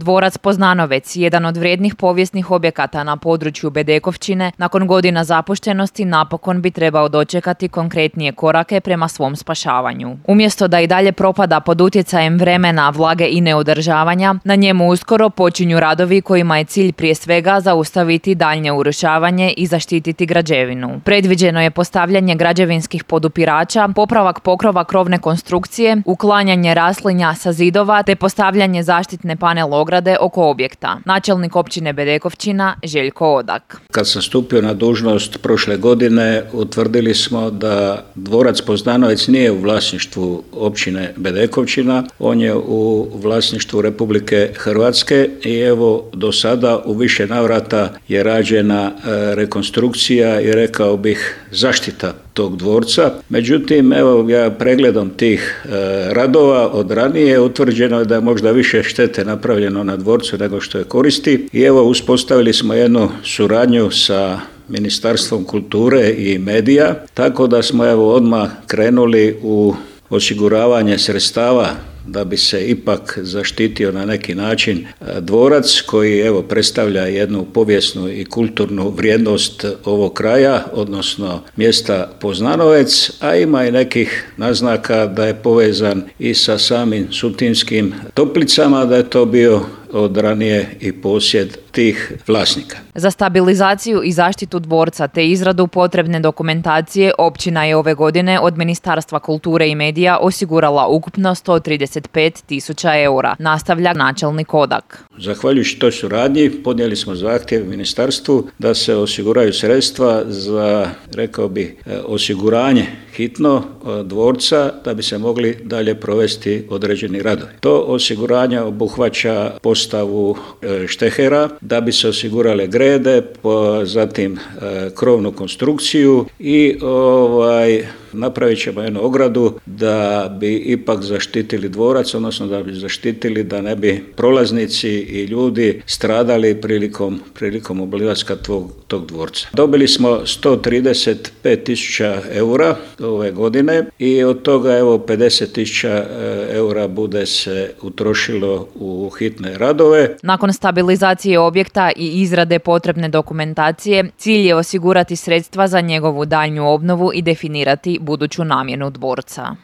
Dvorac Poznanovec, jedan od vrijednih povijesnih objekata na području Bedekovčine, nakon godina zapuštenosti napokon bi trebao dočekati konkretnije korake prema svom spašavanju. Umjesto da i dalje propada pod utjecajem vremena, vlage i neodržavanja, na njemu uskoro počinju radovi kojima je cilj prije svega zaustaviti daljnje urušavanje i zaštititi građevinu. Predviđeno je postavljanje građevinskih podupirača, popravak pokrova krovne konstrukcije, uklanjanje raslinja sa zidova te postavljanje zaštitne panel ograde oko objekta. Načelnik općine Bedekovčina Željko Odak. Kad sam stupio na dužnost prošle godine, utvrdili smo da Dvorac Poznanovec nije u vlasništvu općine Bedekovčina, on je u vlasništvu Republike Hrvatske i evo do sada u više navrata je rađena rekonstrukcija i rekao bih zaštita tog dvorca. Međutim, evo ja pregledom tih radova od ranije utvrđeno je da je možda više štete napravljeno na dvorcu nego što je koristi i evo uspostavili smo jednu suradnju sa Ministarstvom kulture i medija, tako da smo evo odmah krenuli u osiguravanje sredstava da bi se ipak zaštitio na neki način dvorac koji evo predstavlja jednu povijesnu i kulturnu vrijednost ovog kraja, odnosno mjesta Poznanovec, a ima i nekih naznaka da je povezan i sa samim Sutinskim toplicama, da je to bio od ranije i posjed tih vlasnika. Za stabilizaciju i zaštitu dvorca te izradu potrebne dokumentacije općina je ove godine od Ministarstva kulture i medija osigurala ukupno 135.000 eura, nastavlja načelnik Odak. Zahvaljujući toj suradnji podnijeli smo zahtjev ministarstvu da se osiguraju sredstva za, rekao bih, osiguranje hitno dvorca da bi se mogli dalje provesti određeni radovi. To osiguranje obuhvaća postavu štehera da bi se osigurale grede, zatim krovnu konstrukciju i napravit ćemo jednu ogradu da bi ipak zaštitili dvorac, odnosno da bi zaštitili da ne bi prolaznici i ljudi stradali prilikom obilaska tog dvorca. Dobili smo 135.000 eura ove godine i od toga evo 50.000 eura bude se utrošilo u hitne radove. Nakon stabilizacije objekta i izrade potrebne dokumentacije, cilj je osigurati sredstva za njegovu daljnju obnovu i definirati buduću namjenu dvorca.